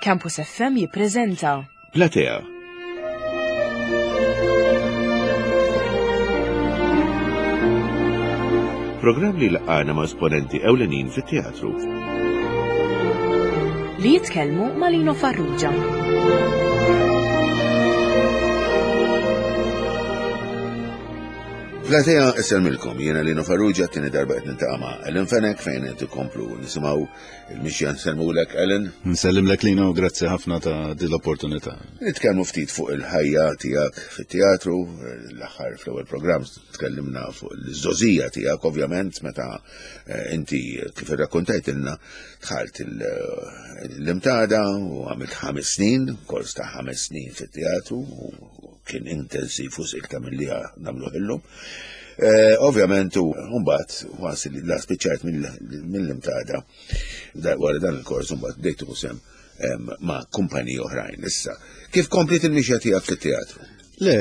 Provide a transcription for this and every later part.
Campus FM jippreżenta Platea. Programm li laqgħana ma' esponenti ewlenin fit-teatru. Li jitkellmu ma' Lino Farrugia. Platea isselmilkom, jiena Lino Farrugia t-tieni darba qed niltaqa' ma' Ellen Fenech fejn qed ikomplu nisimgħu il-mixja nsellmulek Ellen. Nsellimlek Lino, grazzi ħafna ta' din l-opportunità. Nitkellmu ftit fuq il-ħajja tiegħek fit-teatru, l-aħħar fl-ewwel programm tkellimna fuq l-żożija tiegħek ovvjament meta eh, inti kif irrakkontajtilna dħalt l-imtada u għamilt ħames snin, kors ta' ħames snin fit-teatru kien intensiv u iktar milli nagħmluh illum. Eh, ovvjament u mbagħad was li la spiċċajt mill-imtada wara dan il-kors mbagħad bdejt sem ma' kumpaniji oħrajn issa. Kif komplit il-mixja tiegħek fit-teatru? Le,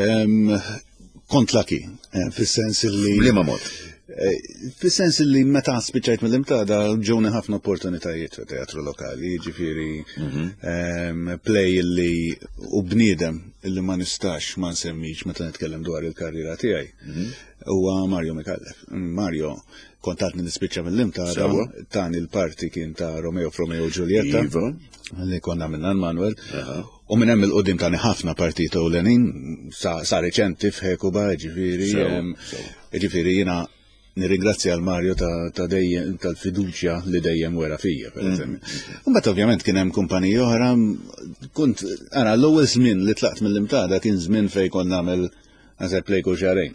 kont laki, eh, fis-sens li. Liema mod? Eh, fis-sens li meta spiċċajt mill-imtada ġewni ħafna opportunitajiet fit teatru lokali, ġifieri mhm. ehm, play li u bniedem illi ma nistax ma nsemmix meta nitkellem dwar il-karriera tiegħi. Mhm. Huwa Mario Mikallef. Mario kontatni nispiċċa mill-imtada, tani l-parti kien ta' Romeo Romeo Giulietta. Iva. Li konna minna Manuel. U minn hemm il-qudiem tani ħafna partita ewlenin sa, sa reċenti f'Hekuba, ġifieri, ġifieri jiena nirringrazzja l Mario ta', ta dejjem tal-fiduċja li dejjem wera fija, per mm. eżempju. Mbagħad ovvjament kien hemm kumpaniji oħra, kont ara l-ewwel żmien li tlaqt mill-imtada kien żmien fejn kont nagħmel Għazeb play kull xarejn.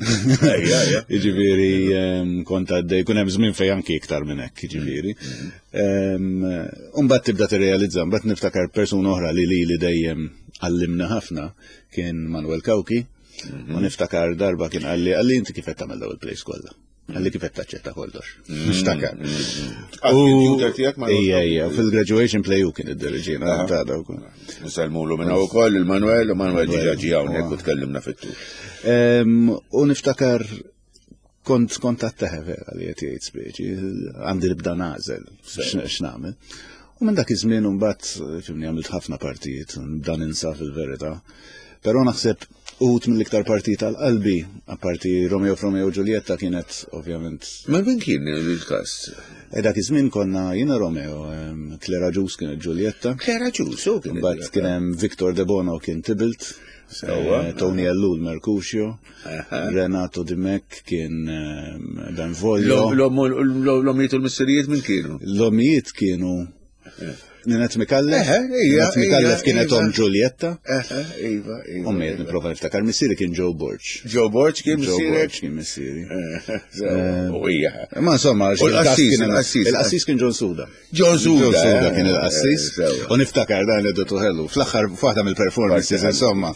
Ġifieri ehm, kont għaddej, kun hemm żmien fejn anki iktar minn hekk, ġifieri. Mm. Ehm, mbagħad tibda tirrealizza, mbagħad niftakar persuna oħra li li li dejjem għallimna ħafna kien Manuel Kawki. Mhm. U niftakar darba kien għalli għalli inti kif qed tagħmel daw il-plays kollha. Għalli kif qed taċċetta kollox. Mm. Niftakar. Mm. Ija, ija, fil-graduation play u kien id-diriġina ta' dawk. Nsalmulu minna u koll il-Manuel, u Manuel ġiġa ġi hawnhekk u tkellimna fit-tul. U niftakar kont kont għatteħe vera li qed jgħid speċi, għandi nibda nagħżel x'nagħmel. U minn dak iż-żmien imbagħad fimni għamilt ħafna partijiet, nibda ninsa fil-verità. Però naħseb uħut mill-iktar partijiet għal qalbi, apparti Romeo Romeo Giulietta kienet ovvjament. Ma min kien il-kast? E dak iż-żmien konna jiena Romeo, Clara Ġus kienet Giulietta. Clara Ġus, u kien. Mbagħad kien hemm Victor De Bono kien Tybalt. Eh, Tony Ellul Mercutio, Renato Dimech kien Benvolio. L-omijiet u l-missirijiet minn kienu? L-omijiet kienu Ninet Mikallef? Ninet Mikallef kienet om Giulietta. Iva, iva. Ommi qed nipprova niftakar missieri kien Joe Borg. Joe Borg kien missieri? Joe Borg kien missieri. U hija. Ma insomma, il-qassis il-qassis kien John Suda. John Suda. John Suda kien il-qassis. U niftakar dan li dottu ħellu. Fl-aħħar waħda mill-performances insomma.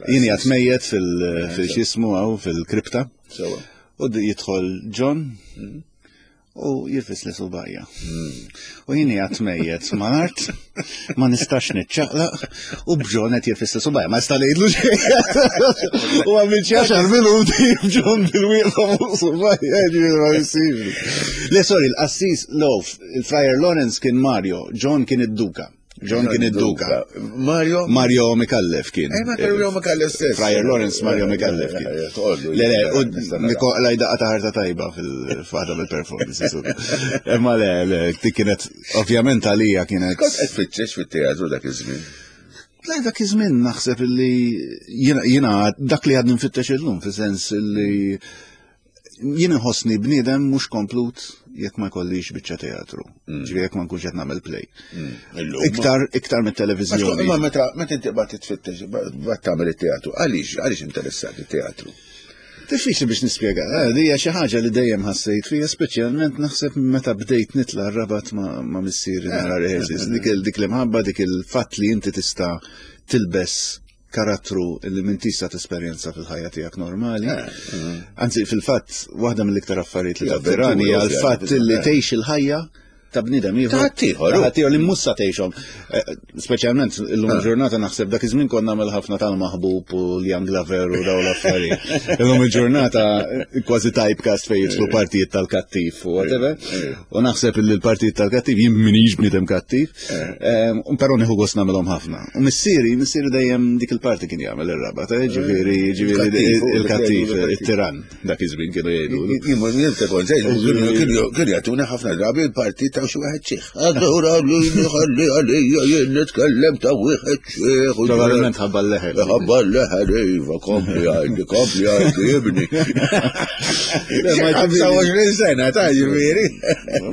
Jien qed mejjet fil-xismu hawn fil-kripta. U jidħol John. Mhm. U jirfis li subajja. U jien għat mejjet mal-art, ma nistax niċċaqlaq, u bġon qed jirfis li subajja, ma nista' ngħidlu xejn. U għamil xi għaxar minuti bġon bil-wieqfa fuq subajja, ġifieri ma jsirx. Le sorry, l-qassis, lo, il-Friar Lawrence kien Mario, John kien id-duka. John kien id-duka. Mario? Mario Mikallef kien. Eh, Mario Mikallef stess. Friar Lawrence Mario Mikallef kien. Eh, le, le, u Nikola daqqa ta' ħarta tajba fil-fada bil-performances. Imma le, le, dik kienet, ovvjament għalija kienet. Kont qed tfittex fit-teatru dak iż-żmien? Le, dak iż-żmien naħseb illi jiena dak li għadni nfittex illum, fis-sens illi jien inħossni bniedem mhux komplut jekk ma jkollix biċċa teatru. Mm. Ġifieri jekk ma nkunx qed nagħmel play. Mm. Iktar iktar mit-televiżjoni. Imma meta meta inti qbad titfittex bad tagħmel it-teatru, għaliex għaliex interessat it-teatru? Diffiċli biex nispjega, eh, li hija xi ħaġa li dejjem ħassejt fija, speċjalment naħseb meta bdejt nitla' rabat ma' missieri nara rehearsals. Dik dik l-imħabba, dik il-fatt li inti tista' tilbes karattru li minn tista' tesperjenza fil-ħajja tiegħek normali. Eh, mm. Anzi, fil-fatt, waħda mill-iktar affarijiet li tattirani hija l-fatt li tgħix il-ħajja. ta' bniedem ieħor. Ta' ħaddieħor, Ta' ħaddieħor li mhux sa tgħixhom. Eh, Speċjalment illum il-ġurnata naħseb dak iż-żmien konna nagħmel ħafna tal-maħbub u l-Young Lover u dawn l-affarijiet. Illum il-ġurnata eh, kważi typecast fejn jidħlu partijiet tal-kattiv u whatever. U naħseb li l-partijiet tal-kattiv jien minix bniedem kattiv, eh, u però nieħu gost nagħmelhom ħafna. U missieri, missieri dejjem dik il-parti kien jagħmel ir-raba, ta' ġifieri ġifieri Il-kattiv, u il-kattiv, il-kattiv. it-tiran dak iż-żmien kienu jgħidu. Jien ta' kont kienu jagħtuna ħafna drabi l-parti ta' xi wieħed xiħ. Allura lili ħalli għalija jien nitkellem ta' wieħed xiħ. Probabilment ħabba l-leħel. Ħabba l-leħel, iva, kompli għajdi, kompli għajdi, ibni. Le, ma ġifieri- 25 sena, ta' ġifieri.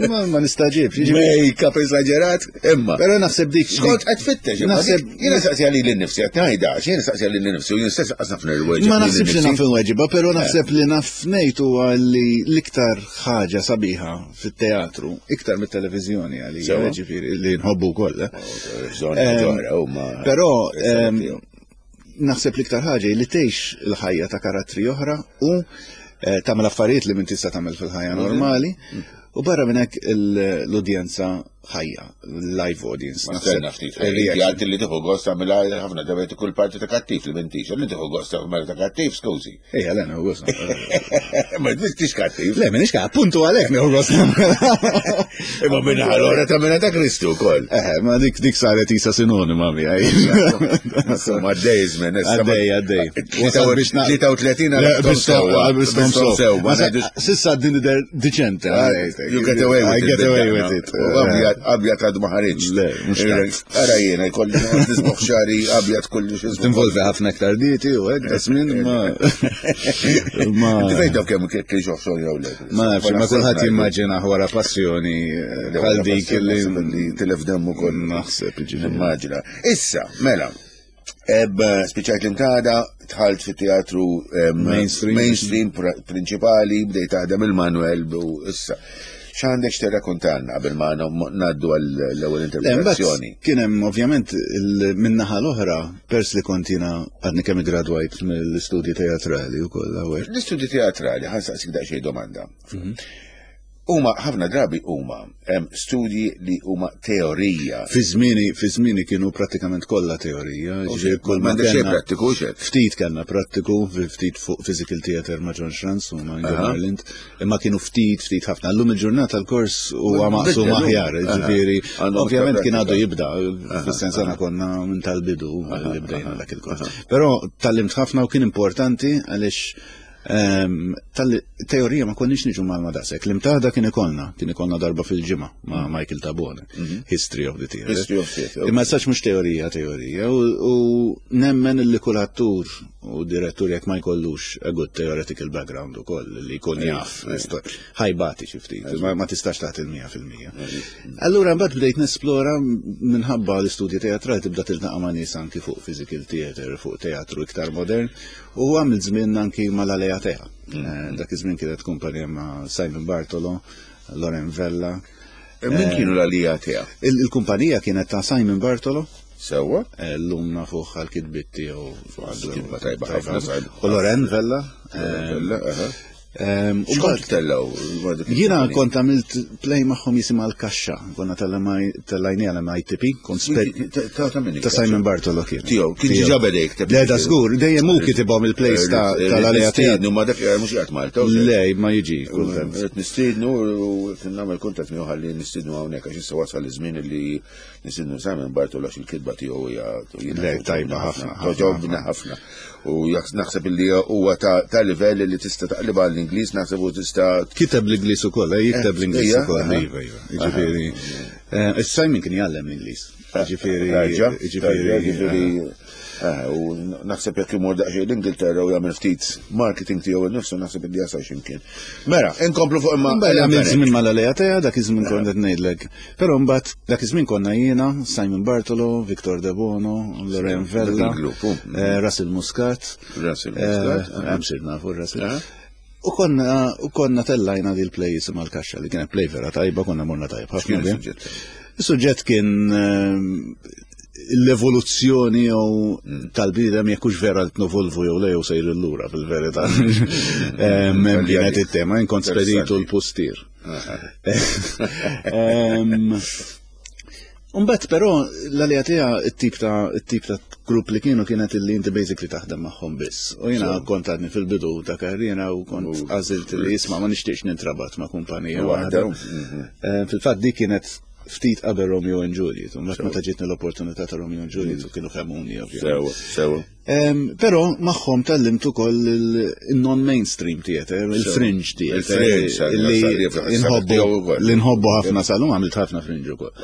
Ma ma nistaġibx, jiġifieri. Make-up eżaġerat, imma. Però naħseb dik. Skont qed fittex, imma Naħseb- dik- jiena saqsija lili nnifsi qed ngħidha, għax jiena saqsija lili nnifsi u jien stess qas naf nirweġeb. Ma lili naħsibx li nnifsi. naf il-weġiba, pero naħseb li naf ngħid huwa li l-iktar ħaġa sabiħa fit-teatru, iktar mit-televiżjoni għalija, Sewa. ġifieri li nħobbu wkoll. eh. Bżonn ġoħra huma. Però ehm, naħseb l-iktar ħaġa hi li tgħix il-ħajja ta' karattri oħra u eh, tagħmel affarijiet li minn tista' tagħmel fil-ħajja normali u barra minn hekk il- l-udjenza ħajja, live audience. Ma naħseb stenna ftit. il-reaction. Għad li tieħu gost tagħmilha ħafna drabi kull parti ta' kattiv li m'intix, li tieħu gost tagħmel ta' kattiv, skużi. Ejja, le, nieħu gost. Ma tmistix kattiv. Le, minix ka, appuntu għalhekk nieħu gost. Imma minna għal-ora ta' minna ta' Kristu wkoll. Eh, ma dik dik saret isa sinonima miegħi. Insomma, għaddej żmien. issa ma- Għaddej, għaddej. Wasal biex na- 33 Le, għal bistom- bistom sew. sew. Ma ngħidux- Sissa din idher diċente. You get away with I it. get away with it. Abjad, abjad għadu ma ħareġ. Le, mhux tant. Ara jiena, jkolli nisboħ xari abjad kollu xi Tinvolvi ħafna iktar dieti u hekk, da żmien ma. Ma. Inti fejn taf kemm kien xoħxon jew le? Ma nafx, ma kulħadd jimmaġina wara passjoni eh, bħal dik li li tilef demmu koll. naħseb ġifieri. Immaġina. Issa, mela, eb spiċajt l-imtada, tħalt fit teatru Mainstream. mainstream prinċipali, bdejt taħdem il-Manuel u issa. X'għandek x'tirrakkontanna qabel ma ngħaddu għall-ewwel Le, mbagħad interpretazzjoni? Kien hemm ovvjament min-naħa l-oħra, pers li kont jiena għadni kemm iggradwajt mill-istudji teatrali wkoll hawnhekk. L-istudji teatrali, ħa nsaqsik daqsxejn domanda. Huma ħafna drabi huma hemm studji li huma teorija. Fi żmieni fi żmieni kienu prattikament kollha teorija, ġifieri kull ma M'għandek xejn kellna- prattiku xejn. Ftit kellna prattiku, ftit fuq physical theater ma' John Schranz u ma' Inga Marlind, imma kienu ftit, ftit ħafna. Llum il-ġurnata l-kors huwa maqsum Biddel, aħjar, aha. ġifieri, Għandhom ovvjament iktar kien għadu prattika. jibda, fis-sens aħna konna minn tal-bidu li bdejna dak il-kors. Però tallimt ħafna u kien importanti għaliex ehm, tal-teorija ma konniex niġu mal daqshekk. L-imtaħda kien ikollna, kien ikollna darba fil-ġimgħa ma' Michael Tabone, History of the Theater. History of Theatre, Imma sax mhux teorija, teorija, u, u nemmen li kull attur u direttur jekk ma jkollux a good theoretical background ukoll li jkun jaf ħajbati xi ftit, ma, ma tistax tagħti l-100%. Allura mbagħad bdejt nesplora minħabba l-istudji teatrali tibda tiltaqa' ma' nies anki fuq physical theater, fuq teatru iktar modern, u għamilt żmien anki mal-Alea Tea. Eh, Dak iż-żmien kienet kumpanija ma' Simon Bartolo, Loren Vella. Min kienu l-għalija tiegħek? Il- Il-kumpanija kienet ta' Simon Bartolo, Sewwa? L-lum nafuħ għal-kitbit tiegħu. Għandu kitba tajba ħafna, Simon. U Loren Vella. Vella, aha. ehm, u X'kont mbagħad tellaw? Jiena kont għamilt play magħhom jisimha l-kaxxa. Konna tellajni għal MITP, kont spe- Ta' ta' min ta' Simon Bartolo kien. Tiegħu, kien ġiġa beda jikteb. Le, da żgur, dejjem hu kitibhom il-plays ta' tal-għalija tiegħu. Nistiednu, ma dak mhux qiegħed Malta. u Le, ma jiġi kultant. Qed nistiednu u qed nagħmel kuntatt miegħu ħalli nistiednu hawnhekk għax issa wasal iż-żmien li nistiednu Simon Bartolo għax il-kitba tiegħu hija jiena Le, tajba ħafna, ħafna, Toġobna ħafna. U naħseb li huwa ta' ta' livell li tista' taqlibha għall-Ingliż, naħseb u tista' Kiteb l-Ingliż ukoll, eh, jikteb l-Ingliż ija, ukoll, aha. iva, iva. Jiġifieri, eh, Simon kien jgħallem l-Ingliż. Jiġifieri, Raġa, jiġifieri, ġifieri, eh, u naħseb jekk imur daqsxejn l-Ingilterra u jagħmel ftit marketing tiegħu innifsu naħseb li jasal x'imkien. Mela, inkomplu fuq imma Mbagħad għamil żmien mal-għalija tiegħi dak iż-żmien kont qed ngħidlek. Però mbagħad dak iż-żmien konna jiena, Simon Bartolo, Victor De Bono, Loren Vella, il-grupp, u. eh, Russell Muscat. Russell Muscat, eh, Hemm sir nafu Russell. Aha. U konna u konna tellajna dil play jisimha l-kaxxa li kienet play vera tajba, konna morna tajba ħafna. X'kien biha. is-suġġett? Is-suġġett kien ehm, l-evoluzzjoni jew tal-bniedem jekk hux vera qed novolvu jew le jew sejr lura fil-verità. Ehm, Hemm kienet it-tema, jien kont speditu l-pustier. Umbat però l-għalija tija it-tip ta' it-tip ta' grupp li kienu kienet illi inti basically taħdem magħhom biss. U jiena kont għadni fil-bidu ta' karriera u kont għażilt li jisma' ma nixtieqx nintrabat ma' kumpanija waħda. Mhm. Eh, fil-fatt dik kienet ftit qabel Romeo and Juliet, u meta ġietni l-opportunità ta' Romeo and Juliet u kienu femuni ovvjament. Sewa, sewa. Però magħhom tgħallimt ukoll il-non-mainstream theater, il-fringe theater. Li nħobbu ħafna sal-lum għamilt ħafna fringe ukoll.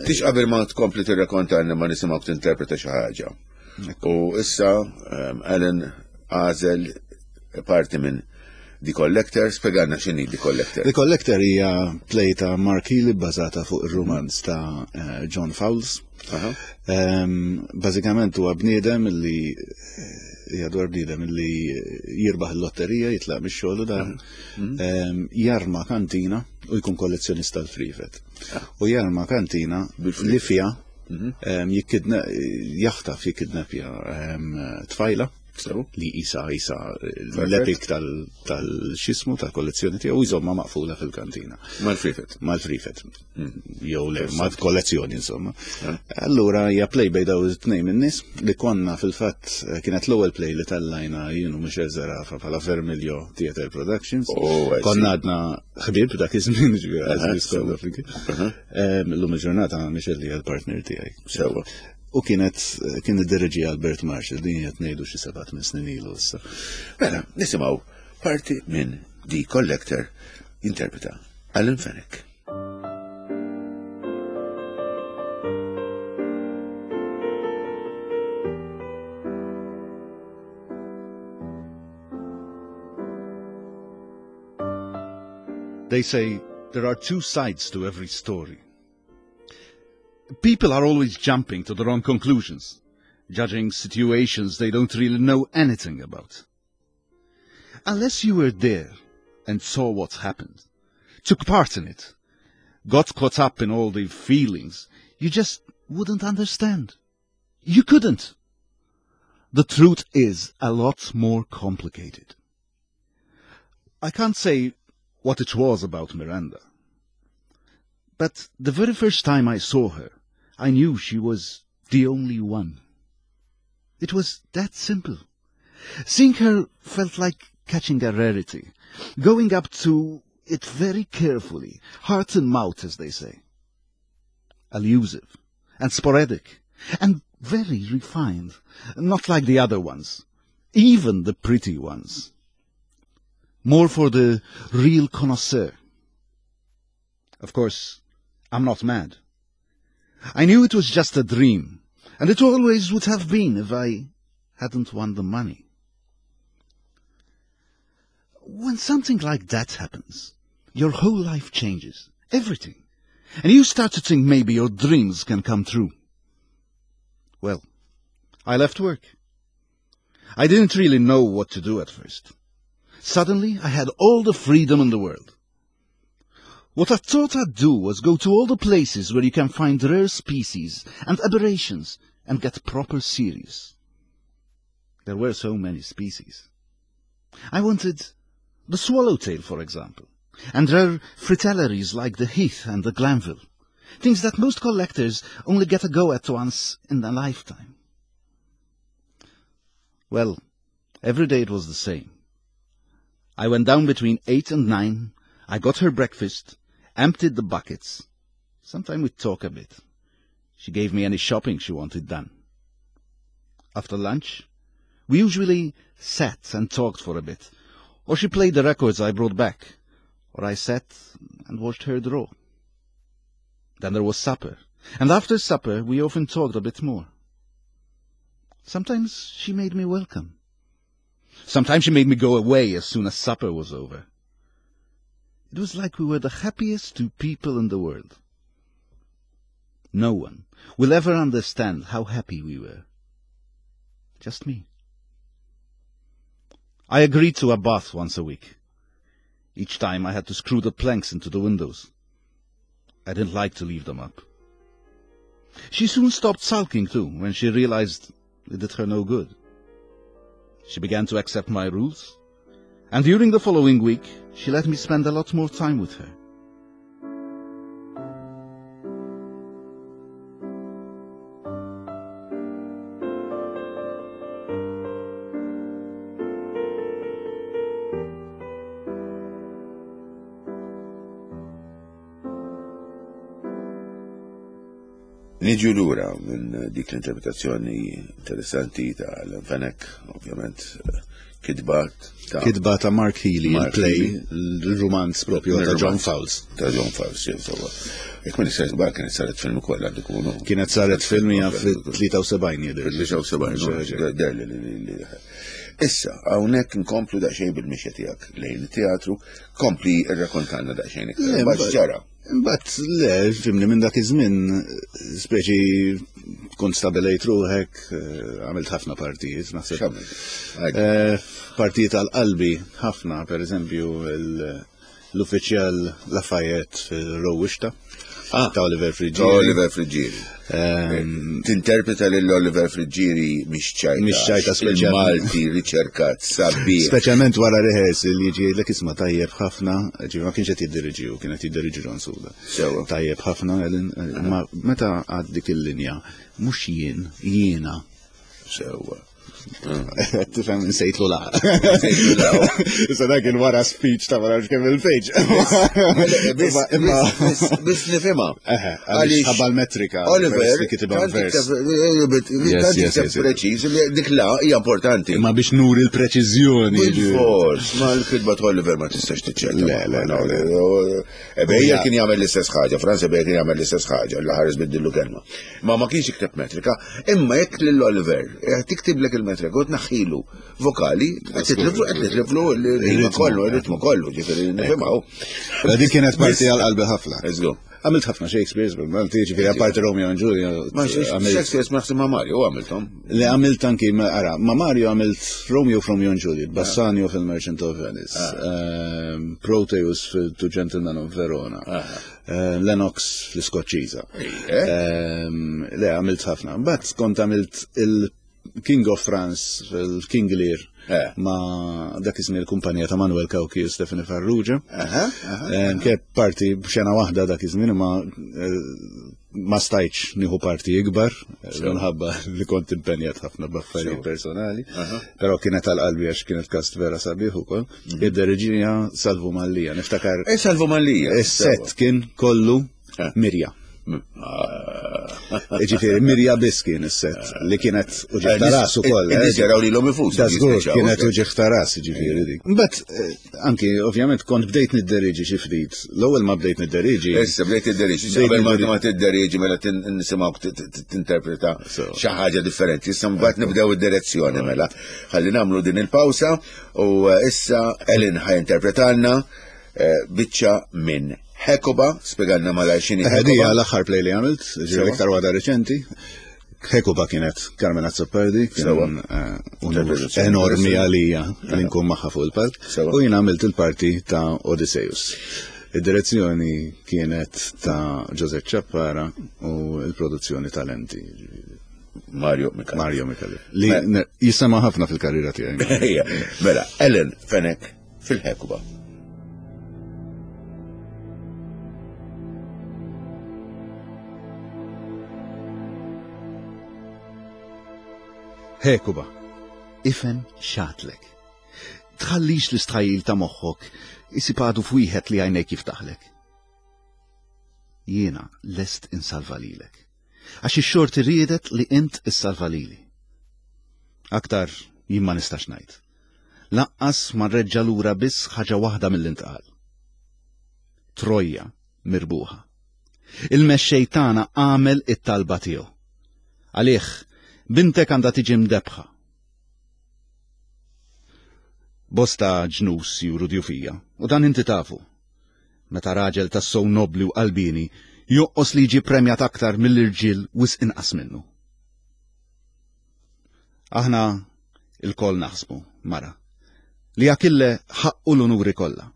Tix qabel ma tkompli tirrakonta ma nisimgħek tinterpreta xi ħaġa. U issa Alan għażel parti minn The Collector, spjegalna x'inhi The Collector. The Collector hija play ta' Mark Healy bbażata fuq ir-rumanz ta' eh, John Fowles. Bażikament huwa bniedem li eh, hija dwar bniedem li jirbaħ il-lotterija, jitlaq mix-xogħol u dan mhm. jarma kantina u jkun kollezzjonista l-frifet. Ah. U jarma kantina li fiha mhm. jaħtaf jikkidnapja tfajla li isa isa l-epic tal-xismu tal-kollezzjoni tiegħu jżomma maqfula fil-kantina. Mal-frifet. Mal-frifet. Hmm. Jew le, mal-kollezzjoni insomma. Eh. Allura hija play bej daw it-tnejn min-nies li konna fil-fatt eh, kienet l-ewwel play li tellajna jien u Michel Zerafa bħala Vermilio Theatre Productions. Oh, konna għadna ħbieb dak iż-żmien ġifieri. Illum il-ġurnata Michel hija l-partner tiegħi. Sewa. U kienet kien iddereġi Albert Marshall, din qed ngħidu xi seba' tmien snin ilu issa. Mela, nisimgħu parti minn The Collector jinterpreta Alan Fenech. They say there are two sides to every story. People are always jumping to the wrong conclusions, judging situations they don't really know anything about. Unless you were there and saw what happened, took part in it, got caught up in all the feelings, you just wouldn't understand. You couldn't. The truth is a lot more complicated. I can't say what it was about Miranda. But the very first time I saw her, I knew she was the only one. It was that simple. Seeing her felt like catching a rarity, going up to it very carefully, heart and mouth, as they say. Elusive and sporadic and very refined, not like the other ones, even the pretty ones. More for the real connoisseur. Of course, I'm not mad. I knew it was just a dream, and it always would have been if I hadn't won the money. When something like that happens, your whole life changes, everything. And you start to think maybe your dreams can come true. Well, I left work. I didn't really know what to do at first. Suddenly, I had all the freedom in the world. What I thought I'd do was go to all the places where you can find rare species and aberrations and get proper serious. There were so many species. I wanted the swallowtail, for example, and rare fritillaries like the heath and the glanville, things that most collectors only get a go at once in a lifetime. Well, every day it was the same. I went down between 8 and 9, I got her breakfast, emptied the buckets. Sometime we'd talk a bit. She gave me any shopping she wanted done. After lunch, we usually sat and talked for a bit, or she played the records I brought back, or I sat and watched her draw. Then there was supper, and after supper we often talked a bit more. Sometimes she made me welcome. Sometimes she made me go away as soon as supper was over. It was like we were the happiest two people in the world. No one will ever understand how happy we were. Just me. I agreed to a bath once a week. Each time I had to screw the planks into the windows. I didn't like to leave them up. She soon stopped sulking, too, when she realized it did her no good. She began to accept my rules, and during the following week, She let me spend a lot more time with her. Niġu lura minn dik l-interpretazzjoni interessanti ta' Alan Fenech, ovvjament kitba ta' Kitba ta' Mark Healy, il-play, il-romanz propju ta' John Fowles. Ta' John Fowles, jew sewwa. Jekk ma nistax żball kienet saret film ukoll għandu kunu. Kienet saret film hija fit-73 jidher. Fit-73, derli li Issa, hawnhekk nkomplu daqsxejn bil-mixja tiegħek lejn it-teatru, kompli rrakontanna daqsxejn iktar. Mbagħad ġara. Imbagħad le, fimni minn dak iż-żmien speċi kont stabilejt ruħek, eh, għamilt ħafna partijiet, naħseb. Eh, partijiet għal qalbi ħafna, per eżempju, l-uffiċjal Lafayette fil-Rowwixta. Ah, ta' Oliver Friggieri. Ta' Oliver Friggieri. Ehm, Tinterpreta lil Oliver Friggieri mhix ċajta. Mhix ċajta speċjalment. Malti riċerkat sabiħ. Speċjalment wara rehearsal li jiġi jgħidlek isma' tajjeb ħafna, ġifieri ma kienx qed jiddiriġi hu, kien qed jiddiriġi John Suda. Sewa. Tajjeb ħafna, ma meta għad dik il-linja, mhux jien, jiena. Sewa. Tifhem insejtlu la. Issa dak il wara speech ta' ma kemm il-page. Biss nifhimha. Għaliex ħabba l-metrika. Oliver, preċiż li dik la hija importanti. Ma biex nuri l-preċiżjoni. Fors, ma l-kitba ta' Oliver ma tistax tiċċetta. Le, le, le. Ebejja kien jagħmel l-istess ħaġa, Franz Ebejja kien jagħmel l-istess ħaġa, l-ħares biddillu kelma. Ma ma kienx jikteb metrika, imma jekk lil Oliver eh, tiktiblek il-metrika u tnaħħilu vokali, qed titliflu qed titliflu l-ritmu kollu, il-ritmu kollu, ġifieri nifhimhaw. Dik kienet parti għal qalbi ħafna. Eżgu. Għamilt ħafna Shakespeare, bil-Malti, ġifieri apparti Romeo and Julia. Ma Shakespeare ma ma Mario għamilthom. Le għamilt anki, ara, ma Mario għamilt Romeo from Romeo and Juliet, Bassanio fil-Merchant of Venice, ah. ehm, Proteus fil-Two Gentlemen of Verona. Ah. Eh, Lennox fl-Iskoċċiża. Ehm, le, għamilt ħafna. Mbagħad kont għamilt il-King of France, il-King Lear, eh. ma dak iż il-kumpanija ta' Manuel Cauchi u Stefani Farrugia. Ehm, Kien parti b'xena waħda dak iż-żmien ma eh, ma stajtx nieħu parti ikbar minħabba li kont impenjat ħafna b'affarijiet personali, però kienet għal qalbi għax kienet kast vera sabiħ ukoll. Mhm. Id-derġija Salvu Mallija, niftakar. E Salvu Mallija. Is-set kien kollu eh. Mirja. Mm. Ah. Ġifieri Mirja biss kien is-set li kienet uġigħ ta' ras ukoll. Eh, eh jaraw lilhom infushom. Da żgur kienet uġigħ ta' ras ġifieri dik. Mbagħad anki ovvjament kont bdejt nidderiġi xi ftit. L-ewwel ma bdejt nidderiġi. Issa bdejt tidderiġi, qabel ma ma tidderiġi mela nisimgħuk tinterpreta xi ħaġa differenti. Issa mbagħad nibdew id-direzzjoni mela. Ħalli nagħmlu din il-pawsa u eh, issa Ellen ħa jinterpretalna eh, biċċa minn Hekoba, spjegalna malajr x'inhi Hekoba. Hija l-aħħar play li għamilt, ġifieri iktar waħda reċenti. Hekuba kienet Carmen Azzopardi, kien eh, unur enormi għalija li nkun magħha fuq il-palk, u jien għamilt il-parti ta' Odysseus. Id-direzzjoni kienet ta' Joseph Ciappara u l-produzzjoni talenti. Mario Mikali. Mario Mikali. Li jisema ħafna fil-karriera tiegħi. Mela, Ellen Fenech fil-Hekuba. Hekuba, ifhem xatlek. Tħallix l-istħajjil ta' moħħok isib għadu f'wieħed li għajnejk jiftaħlek. Jiena lest insalva lilek. Għax ix-xorti riedet li int issalva lili. Aktar jien ma nistax ngħid. Lanqas ma nreġġa' lura biss ħaġa waħda mill-intqal. Trojja mirbuħa. Il-mexxej tagħna għamel it-talba tiegħu. Għalih, bintek għandha tiġi mdebbħa. Bosta ġnus juru djufija, u dan inti tafu. Meta raġel tassew nobbli u qalbieni jonqos li jiġi premjat aktar mill-irġiel wisq inqas minnu. Aħna ilkoll naħsbu, mara, li Akille ħaqqu l-unuri kollha.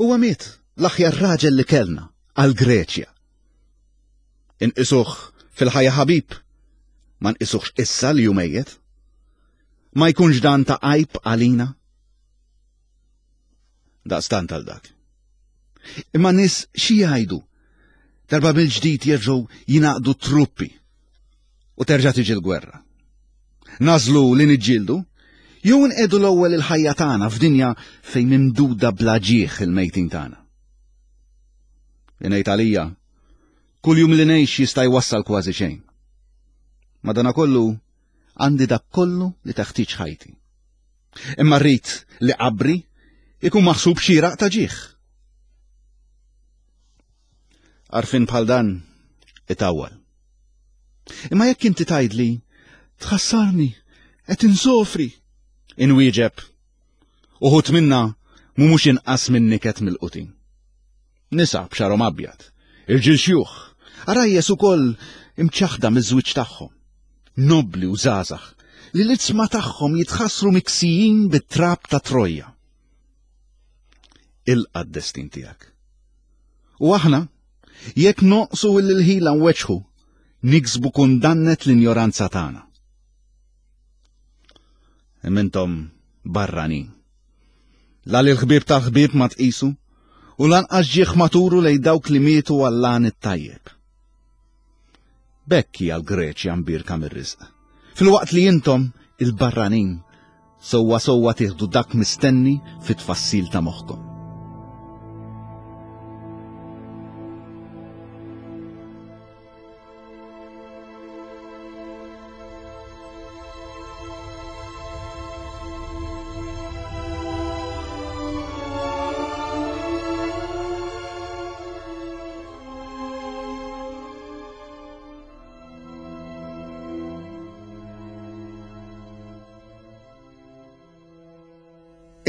Huwa miet l-aħjar raġel li kellna għal Greċja. Inqisuh fil-ħajja ħabib, ma nqisuhx issa li hu mejjet. Ma jkunx dan ta' għajb għalina? Daqstant għal dak. Imma nies xi jgħidu? Darba mill-ġdid jerġgħu jingħaqdu truppi u terġa' tiġi l-gwerra. Nażlu li niġġieldu jew nqedu l-ewwel il-ħajja tagħna f'dinja fejn mimduda bla ġieħ il-mejtin tagħna. Li ngħid għalija, kull jum li ngħix jista' jwassal kważi xejn. Madanakollu għandi dak kollu li teħtieġ ħajti. Imma rrid li qabri ikun maħsub xieraq ta' ġieħ. Għarfien bħal dan itawwal. Imma jekk inti tgħidli tħassarni qed insofri, inwieġeb uħud minna mhumiex inqas minn niket mill-qutin. Nisa b'xarhom abjad, irġiel xjuħ, għarajjes ukoll imċaħħda miż-żwieġ tagħhom, nobbli u żgħażagħ, li l-iġsma tagħhom jitħassru miksijin bit-trab ta' Trojja. Ilqa' d-destin tiegħek. U aħna, jekk noqsu l-ħila nweġħu, niksbu kundannet l-injoranza tagħna. Imma intom barranin. La li l-ħbieb tal-ħbieb ma tqisu, u lanqas ġieħ ma turu lejn dawk li mietu għall-għan it-tajjeb. B'hekk hija l-Greċja mbierka mir-riżq. Filwaqt li intom, il-barranin, sewwa sewwa tieħdu dak mistenni fit-tfassil ta' moħħkom.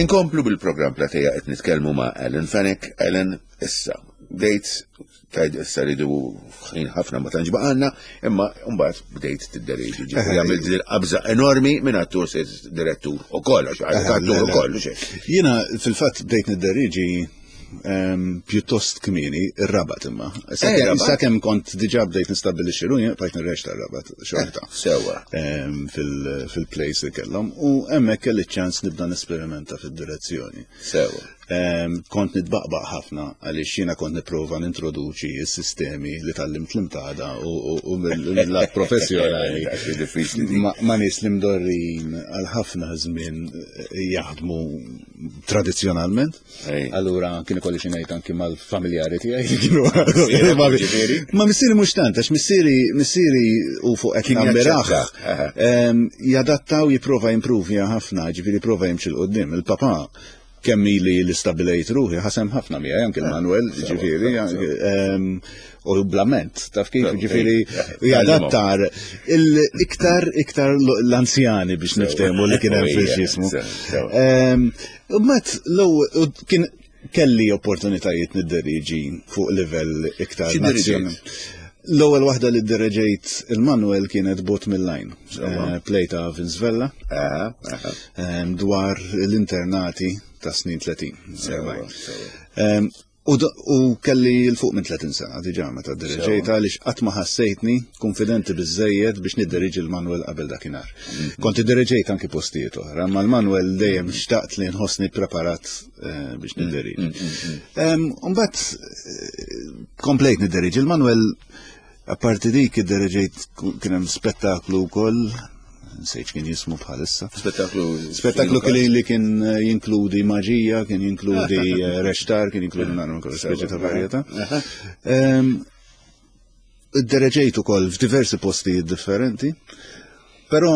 Inkomplu bil-programm Platea qed nitkellmu ma' Alan Fenech. Alan, issa, bdejt tajd issa ridu ħin ħafna ma tantx baqgħalna, imma mbagħad bdejt tidderieġi. Ġifieri għamilt din qabża enormi minn attur se direttur ukoll, għax attur ukoll. Jiena fil-fatt bdejt nidderieġi pjuttost kmieni, ir-Rabat imma. Eh, Sakemm kont diġà bdejt nistabbilixxi ruħi, bqajt nirrex tar-Rabat xorta. Eh, sewwa. Fil-place li kellhom u hemmhekk kelli ċans nibda nesperimenta fid-direzzjoni. Sewwa. Kont nitbaqbaq ħafna għaliex jiena kont nipprova nintroduċi s-sistemi li tgħallimt l-imtada u mill-lat professjonali. Ma nies li mdorrin għal ħafna żmien jaħdmu tradizzjonalment. Allura kien ikolli xi ngħid anki mal-familjari tiegħi li kienu. Ma missieri mhux tant, għax missieri missieri u fuq qed nambiraħ. Jadatta u jipprova jimpruvja ħafna, ġifieri prova jimxi l qudiem Il-papà kemm ili li stabilejt ruħi ħasem ħafna miegħi anke l-Manuel, ġifieri, u blament, taf kif, ġifieri jadattar il-iktar iktar l-anzjani biex niftehmu li kien hemm fil-ġismu. U mbagħad l-ewwel kien kelli opportunitajiet nidderiġi fuq livell iktar nazzjonali. L-ewwel waħda li ddereġejt il-Manuel kienet Bot mill-Lajn, eh, play ta' Vince Vella, dwar l-internati ta' snin 30. U, u kelli l fuq minn 30 sena diġà meta diriġejt għaliex qatt ma ħassejtni konfidenti biżejjed biex nidderiġi l-Manuel qabel dakinhar. Mm. Kont idderieġejt anki postijiet oħra, ma l-Manuel dejjem xtaqt li nħossni preparat eh, biex mm, nidderiġi. Mm, Mbagħad eh, komplejt nidderiġi l-Manuel Apparti dik iddereġejt kien hemm spettaklu wkoll nsejt kien jismu bħalissa. Spettaklu. Spettaklu kien li kien eh, jinkludi maġija, kien jinkludi eh, rextar, kien jinkludi nagħmlu kol speċi ta' varjetà. Ehm, iddereġejt ukoll f'diversi postijiet differenti. Però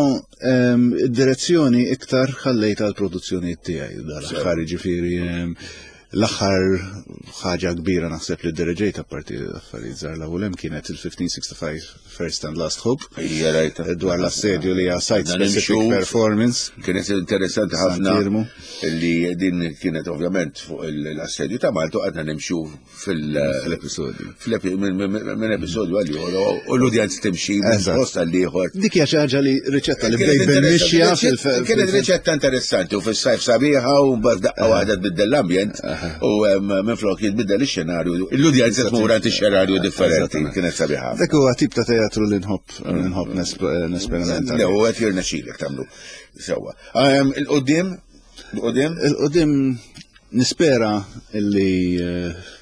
ehm, id-direzzjoni iktar ħallejt għal produzzjonijiet tiegħi dal-aħħar jiġifieri ehm, l-aħħar ħaġa kbira naħseb li diriġejt apparti affarijiet żgħar l hemm kienet il-1565 First and Last Hope. Hija rajta. Dwar l-assedju li hija site specific performance. Kienet interessanti ħafna li din kienet ovvjament fuq l-assedju ta' Malta għadna nimxu fil-episodju. Minn episodju għal ieħor u l-udjenz timxi minn post għal ieħor. Dik hija xi ħaġa li riċetta li bdejt bil-mixja Kienet riċetta interessanti u fis-sajf sabiħa u mbagħad daqqa waħda tbiddel l-ambjent u minn flok jitbiddel ix-xenarju. L-udjenza tmur għand ix-xenarju differenti kienet sabiħa. Dak huwa tip ta' teatru li nħobb nħobb nesperimenta. Le, u qed jirnexxilek tagħmlu sewwa. Il-qudiem? Il-qudiem? Il-qudiem. Nispera illi eh,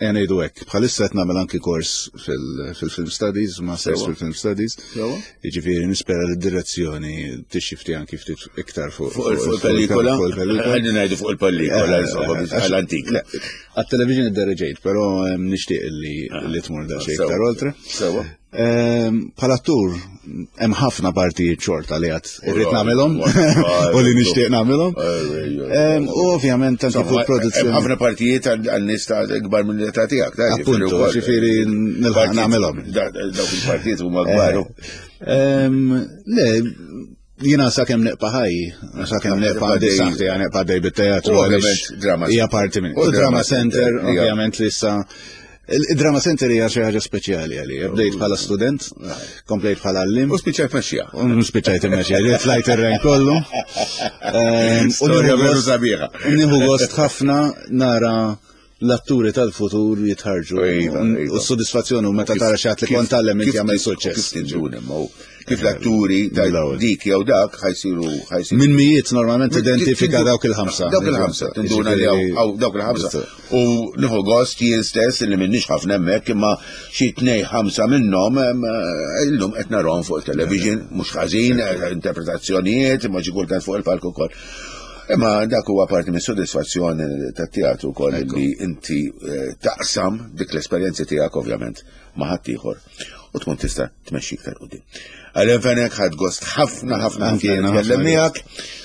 Ejja ngħidu hekk, bħalissa qed nagħmel anki kors fil-film studies, masters fil-film studies. Jiġifieri nispera li d-direzzjoni tixxifti anki ftit iktar fuq il-pellicola. Ħalli ngħidu fuq il-pellicola, eh, insomma, eh, għall-antik. Għat-television id-dereġejt, però nixtieq li tmur daqsxejn iktar oltre. Sewa. Bħala attur, hemm ħafna partijiet xorta li għad irrid nagħmilhom u li nixtieq nagħmilhom. U ovvjament anke fuq produzzjoni. Ħafna partijiet għan-nies ta' ikbar minn l-età tiegħek. Appuntu, ġifieri nilħaq nagħmilhom. Dawk il-partijiet huma kbar. Le, jina sa' kem neqpa ħaj, sa' kem neqpa għaddej saħti, neqpa għaddej bit-teatru. Hija parti minn. U Drama Center, ovvjament li issa Il-Drama Center hija xi ħaġa speċjali għalija. Bdejt bħala student, komplejt bħala għallim. U spiċċajt mexxija. U spiċċajt imexxija, tlajt ir-ren kollu. Ehm, Storja veru sabiħa. Nieħu gost ħafna nara l-atturi tal-futur jitħarġu. Iva, iva. U s-sodisfazzjoni u meta tara xi ħadd li kont tgħallem inti jagħmel suċċess. Kif tinduna, Kif l-atturi ta' dik jew dak ħajsiru ħajsiru. Minn mijiet normalment identifika dawk il-ħamsa. Dawk il-ħamsa, tinduna li hawn dawk il-ħamsa. U nieħu gost jien stess li minnix ħafna hemmhekk imma xi tnej ħamsa minnhom illum qed narahom fuq il-television, mhux ħażin, interpretazzjonijiet, imma xi kultant fuq il-palk ukoll. Imma dak huwa parti mis-sodisfazzjoni tat-teatru wkoll li inti eh, taqsam dik l-esperjenzi tiegħek ovvjament ma' ħaddieħor u tkun tista' tmexxi iktar qudiem. Għalem Fenek ħadd gost ħafna ħafna ħafna nitkellem miegħek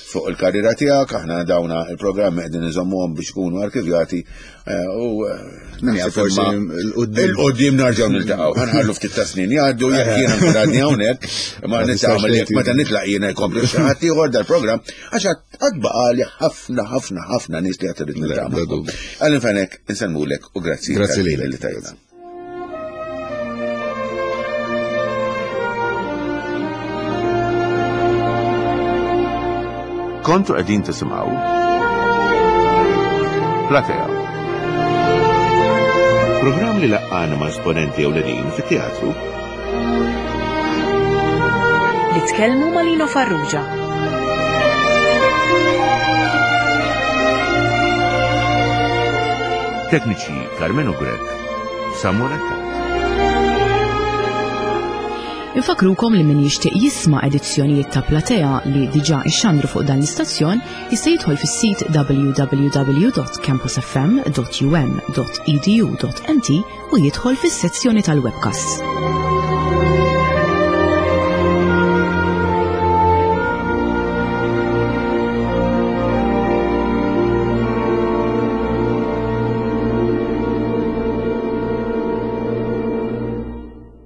fuq il-karriera tiegħek, aħna dawna il-programmi qegħdin iżommuhom biex ikunu arkivjati eh, u eh, min jaf forsi il-qudiem narġgħu niltaqgħu. Ħanħallu ftit ta' snin jgħaddu jekk jiena nkun għadni hawnhekk, ma nitagħmel jekk meta nitlaq jiena jkompli xi ħadd ieħor dal-programm għax għad baqali ħafna ħafna ħafna nies li qed irid niltaqa' Għalem Fenek, insellmulek u grazzi. Grazzi lilek. Li tajna. Kontu qegħdin tisimgħu Platea. Programm li laqqana ma' esponenti ewlenin fit-teatru. Li tkellmu ma' Lino Farrugia. Tekniċi Carmenu Grech, Samuel Attard. Infakrukom li min jixtieq jisma' edizzjonijiet ta' Platea li diġà ixxandru fuq dan l-istazzjon jista' jidħol fis-sit www.campusfm.um.edu.mt u jidħol fis-sezzjoni tal-webcasts.